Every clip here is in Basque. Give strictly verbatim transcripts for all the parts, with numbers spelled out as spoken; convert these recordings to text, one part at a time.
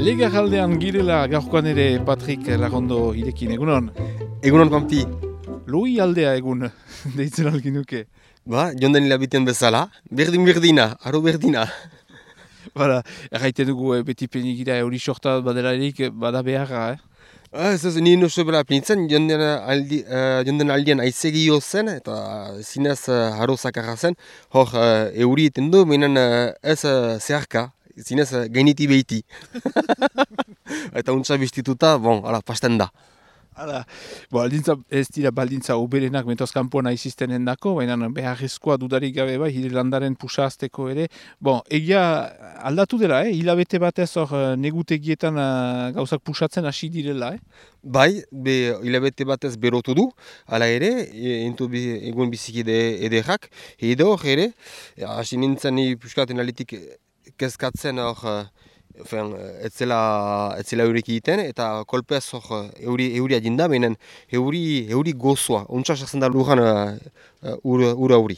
Legarraldean girela gaurkoan ere Patrik Lagondo irekin, egunon? Egunon, Pampi. Lui aldea egun, deitzen algin nuke. Ba, jonden hilabiten bezala, berdin-berdina, aro berdina. Bara, erraiten dugu eh, beti penigira euri sorta badelarik bada beharra, eh? Ah, ez ez, nien oso bela pinitzen, jonden, aldi, uh, jonden aldien aizegio zen, eta zinez uh, haro zakarra zen, hor uh, euri eten du, meinen uh, ez uh, zeharka, zinez uh, gainiti behiti. Eta untsa bestituta, bon, ala, pasten da. Hala, bo, aldintza, ez dira baldintza oberenak mentoz kanpoan aiziztenen dako, baina beharrezkoa dudarik gabe bai, hile landaren pusazteko ere. Bon, egia aldatu dela, eh? Hilabete batez hor negutegietan uh, gauzak pusatzen hasi direla, eh? Bai, be, hilabete batez berotu du, ala ere, e, entu bi, egun bizikide ederrak, edo hor ere, hasi nintzen ni puskaten alitik kezkatzen hor, Fen, etzela, etzela eurek egiten, eta kolpez hor euri, euria jinda, benen euri, euri gozoa, ontsa sartzen da lujan uh, ura, ura euri.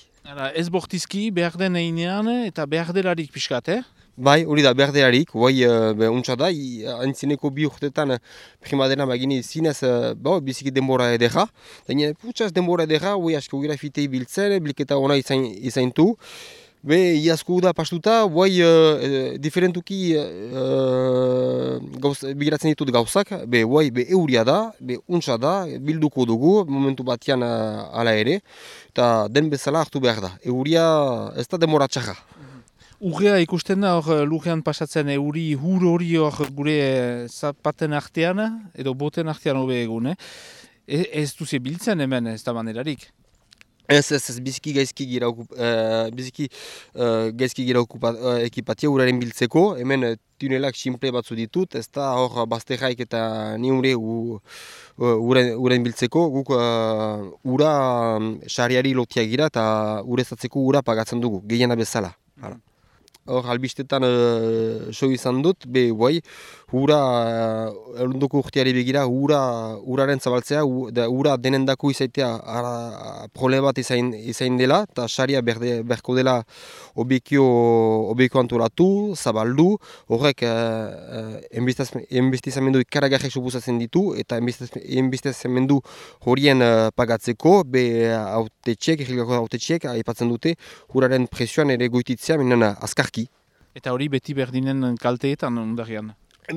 Ez bortizki, behar den einean eta behar delarik pixkat, eh? Bai, hori da, behar delarik, guai uh, ontsa da, antzineko bi urtetan primadena bagini zinez, uh, ba, biziki denbora edera, daine, putsaz denbora edera, guai asko gira fitei biltzen, bilketa ona izain, izaintu, Be, iazko da pastuta, guai uh, diferentuki uh, gauz, bigiratzen ditut gauzak, be, guai, be, euria da, be, untsa da, bilduko dugu, momentu batean uh, ala ere, eta den bezala hartu behar da. Euria ez da demora txarra. Urrea ikusten da hor lurrean pasatzen euri hur hori hor gure zapaten artean, edo boten artean hobe egun, eh? E, ez duze biltzen hemen ez da manerarik? Ez, ez, ez, biziki gaizki gira, uh, biziki, uh, gaizki gira okupa, uh, ekipatia uraren biltzeko, hemen uh, tunelak simple batzu ditut, ez da hor bazterraik eta ni ure uh, uren biltzeko, guk uh, ura um, sariari lotia gira eta urezatzeko ura pagatzen dugu, gehiena bezala. Hala. Hor, albistetan uh, so izan dut, be, guai, ura, uh, erundoko urteari begira, ura, uraren zabaltzea, u, da, ura denendako izaitea ara, problema bat izain, izain dela, eta saria berde, berko dela obekio, obekio antolatu, zabaldu, horrek uh, enbestizamendu ikaragarrek suposatzen ditu, eta enbestizamendu horien uh, pagatzeko, be, autetxek, errigako autetxek, aipatzen dute, uraren presioan ere goititzea, minen azkar. Eta hori beti berdinen kalteetan ondarian?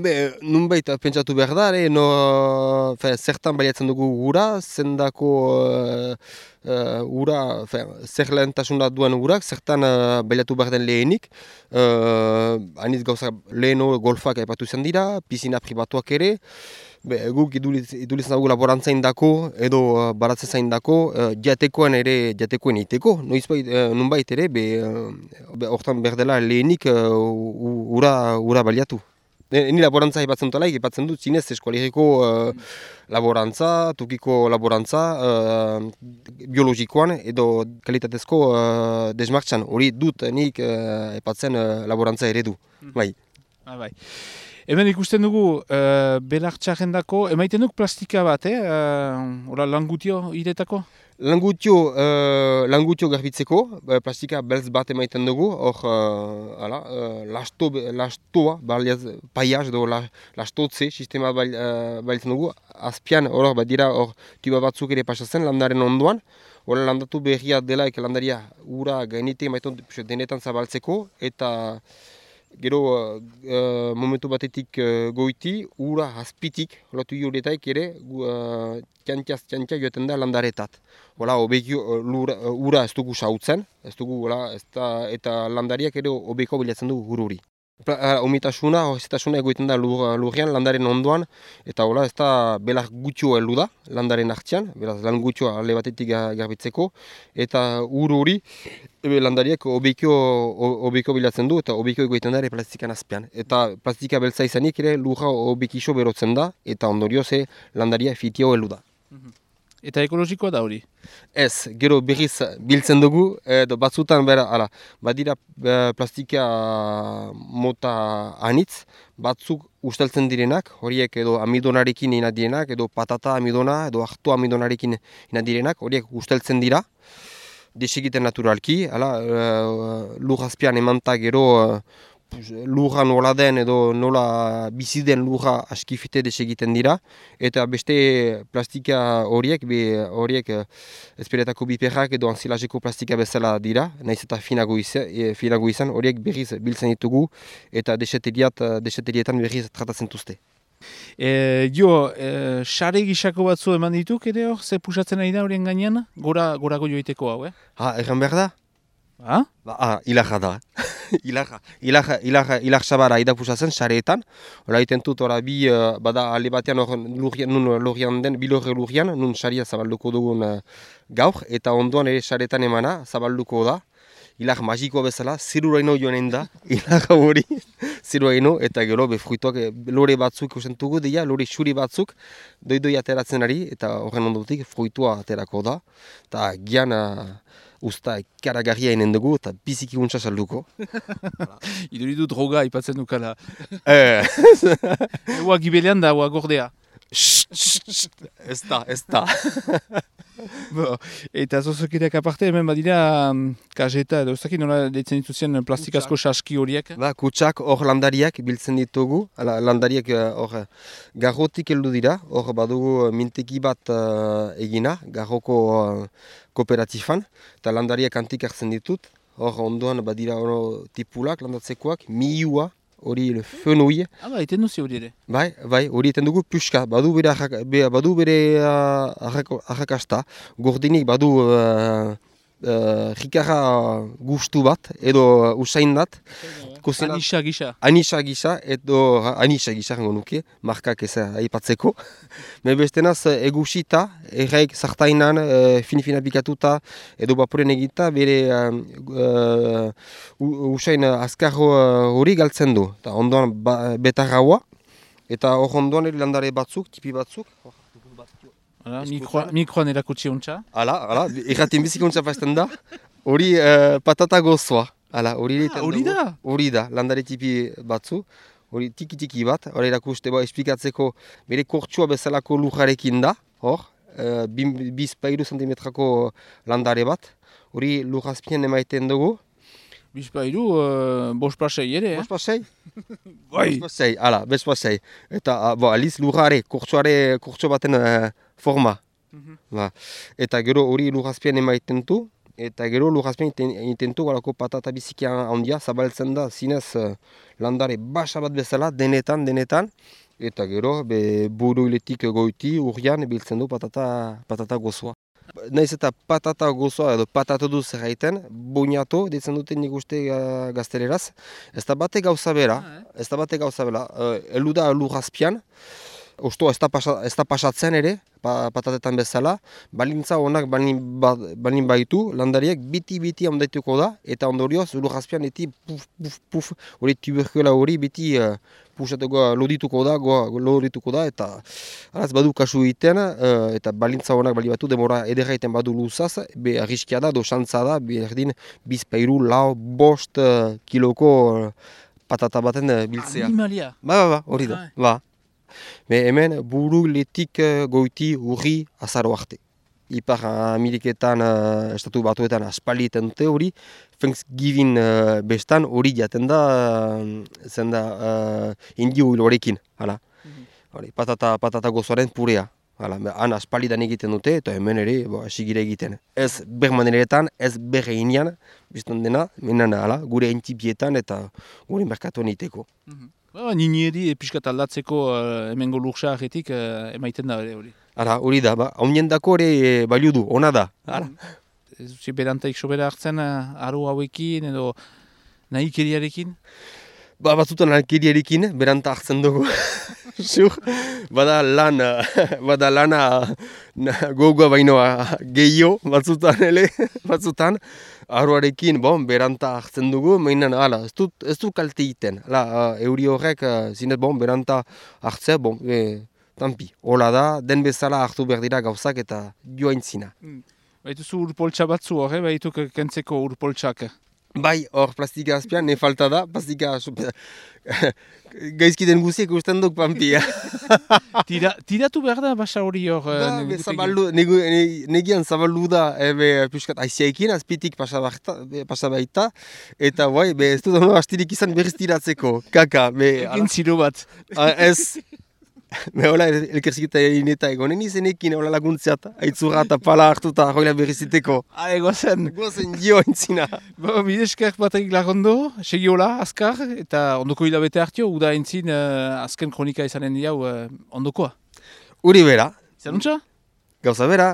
Be, nunbait pentsatu behar da, no, fe, zertan baliatzen dugu gura, zendako uh, uh, ura, fe, zer lehentasuna duen urak, zertan uh, baliatu behar den lehenik. Uh, Aniz gauza leheno golfak aipatu izan dira, pisina pribatuak ere. Be, guk idulitzen dugu laborantza indako edo uh, baratze zaindako uh, jatekoen ere jatekoen iteko. Noizbait, uh, nunbait ere, be, uh, hortan berdela lehenik uh, ura, ura baliatu. Ni laborantza ipatzen dutela, ipatzen dut zinez eskualeriko uh, laborantza, tukiko laborantza, uh, biologikoan edo kalitatezko uh, desmartxan. Hori dut nik uh, ipatzen uh, laborantza eredu. Bai. Ah, bai. Hemen ikusten dugu uh, belartxarrendako, emaiten duk plastika bat, eh? Uh, Hora langutio iretako? Langutio, uh, langutio garbitzeko, plastika beltz bat emaiten dugu, hor, uh, ala, uh, lasto, lastoa, baliaz, paiaz edo la, lastotze sistema bal, uh, balitzen dugu, azpian, hor, bat dira, hor, tuba batzuk ere pasatzen landaren ondoan, hor, landatu berria dela, eka landaria ura gainite emaiten denetan zabaltzeko, eta gero uh, momentu batetik uh, goiti, ura azpitik, lotu horretaik ere, uh, txantxaz txantxa joeten da landaretat. Hola, obekio, uh, ura ez dugu sautzen, ez dugu, hola, ez da, eta landariak ere obeko bilatzen dugu gururi. Omitasuna, hozitasuna egoiten da lur, lurrean, landaren ondoan, eta hola, ez da belar gutxo heldu da, landaren hartzean, beraz lan gutxoa alde batetik garbitzeko, eta ur hori landariak obekio, obekio bilatzen du, eta obekio egoiten da ere plastikan azpean. Eta plastika beltza izanik ere lurra obekixo berotzen da, eta ondorioz landaria fitio heldu da. Eta ekologikoa da hori? Ez, gero berriz biltzen dugu, edo batzutan bera, ala, badira plastika mota anitz, batzuk usteltzen direnak, horiek edo amidonarekin ina direnak, edo patata amidona, edo hartu amidonarekin ina direnak, horiek usteltzen dira, desegiten naturalki, ala, uh, lur azpian emanta gero uh, lurra nola den edo nola bizi den lurra askifite desegiten dira, eta beste plastika horiek, be horiek ezperetako biperrak edo anzilazeko plastika bezala dira, nahiz eta finago izan, e, finago izan horiek berriz biltzen ditugu eta deseterietan berriz tratatzen duzte. E, jo, e, sare gisako batzu eman dituk ere hor, ze pusatzen ari da horien gainean, gora, gorago joiteko hau, eh? Ha, erran behar da? Ha? Ba, ah, ilarra da. ilarra, ilarra, ilarra, ilar sabara idapusatzen sareetan. Hora iten dut, ora bi, uh, bada ale batean hor lurian, nun lurian den, bilorre lurian, nun saria zabalduko dugun uh, gaur, eta ondoan ere sareetan emana zabalduko da. Ilar magikoa bezala, ziruraino joanen da, ilar hori, ziruraino, eta gero be fruituak, lore batzuk usentugu dira, lore xuri batzuk, doidoi ateratzen ari, eta horren ondotik fruitua aterako da, eta gian uh, usta karagarria inen dugu, eta biziki untsa salduko. Iduridu droga ipatzen dukala. Eh. Eua gibelean da, eua gordea. Ez da, ez da. Bo, eta zozokideak aparte, hemen badira um, kajeta edo ezakit nola deitzen dituzien plastikazko saski horiek? Ba, kutsak hor landariak biltzen ditugu, ala, landariak hor uh, garrotik heldu dira, hor badugu minteki bat uh, egina, garroko uh, kooperatifan, eta landariak antik hartzen ditut, hor ondoan badira ono tipulak landatzekoak, miua, hori fenui. Ah, ba, eten duzi hori ere. Bai, bai, hori eten dugu puska, badu bere, arrak, be, badu bere uh, arrakasta, gordinik badu uh, uh, rikarra gustu bat, edo uh, usain bat. Anisa gisa. Anisa gisa, edo anisa gisa gango nuke, markak ez aipatzeko. Me bestenaz egusita, erraik zartainan, uh, fin-fina pikatuta, edo baporen egita, bere uh, uh, usain azkar hori uh, galtzen du. Ta ondoan ba, betarraua, eta hor ondoan landare batzuk, tipi batzuk. Hala, mikroan, mikroan erakutsi hontza. Hala, hala, erratin bizik hontza fazten da. Hori uh, patata gozoa. Hala, hori ah, da? Hori da, landare tipi batzu. Hori tiki-tiki bat, hori erakuste ba, esplikatzeko bere kortsua bezalako lujarekin da. Hor, uh, bizpairu zentimetrako landare bat. Hori lujazpien emaiten dugu. Bizpairu, uh, bost pasei ere, eh? Bost pasei? Bai! Bost pasei, hala, bost pasei. Eta, uh, bo, aliz lujare, kortsuare, kortsu baten uh, forma. Mm-hmm. Ba. Eta gero hori lujazpien emaiten du. Eta gero lujazpien intentu galako patata bizikia handia, zabaltzen da, zinez uh, landare basa bat bezala, denetan, denetan. Eta gero, be, buruiletik goiti, urrian, biltzen du patata, patata gozoa. Naiz eta patata gozoa edo patata duz erraiten, boñato, ditzen duten nik uste uh, gazteleraz. Ez da bate gauza bera, ah, eh? ez da bate gauza bera. Uh, elu da lujazpian, osto ez da, pasa, ez da pasatzen ere, pa, patatetan bezala, balintza honak balin, ba, balin baitu, landariak biti-biti ondaituko da, eta ondorioz lujazpian eti puf, puf, puf, hori tuberkuela hori biti uh, pusatuko, lodituko da, goa, lodituko da, eta araz badu kasu egiten, uh, eta balintza honak bali batu, demora ederraiten badu luzaz, be arriskia da, do xantza da, berdin bizpairu, lau, bost uh, kiloko uh, patata baten uh, biltzea. Animalia? Ba, ba, ba, hori da, ba. Me hemen buru letik uh, goiti urri azaro arte. Ipar Ameriketan, uh, estatu batuetan aspaldi eten dute hori, Thanksgiving uh, bestan hori jaten da, uh, zen da uh, indio hil horrekin. Hala. Mm-hmm. Patata, patata gozoaren purea. Hala, han aspaldidan egiten dute, eta hemen ere, bo, asigire egiten. Ez bermaneretan, ez berreinean, bizton dena, menen, hala, gure entipietan eta gure merkatuan iteko. Mm-hmm. Ba, nini edi piskat aldatzeko uh, hemengo lursa agetik uh, emaiten da hori. Ara, hori da, ba, haunien dako ere e, balio du, ona da. Ara. Ez dut berantaik sobera hartzen uh, aru hauekin edo nahi keriarekin? Ba, batzutan alkeriarekin, beranta hartzen dugu. Sur, bada lan, bada lana gogoa baino gehiago, batzutan ele, batzutan. Aruarekin, bon, beranta hartzen dugu, mainan, ala, ez dut, ez dut kalte egiten. Hala, uh, euri horrek, uh, zinez, bon, beranta hartzea, bon, e, tampi. Hola da, den bezala hartu behar dira gauzak eta joain zina. Mm. Baituzu urpoltsa batzu hor, eh? Baituk kentzeko urpoltsak. Bai, hor plastika azpian, ne falta da, plastika gaizki den guziek usten duk pampia. Tira, tiratu behar da basa hori hor. Da, be, zabaldu, negu, ne, negian zabaldu da, ebe, piskat aiziaekin, azpitik pasa baita, eta bai, be, ez dut hona astirik izan berriz tiratzeko, kaka. Be, egin ziro bat. A, ez, be, hola, elkerziketa egin eta egonen izenekin, hola laguntzeat, aitzura eta pala hartuta, hoila berriziteko. Ah, egozen. Gozen dio entzina. Bo, bidezker batek lagondo, segi hola, azkar, eta ondoko hilabete hartio, uda entzin uh, azken kronika izanen diau uh, ondokoa. Uri bera. Zanuntza? Gauza bera.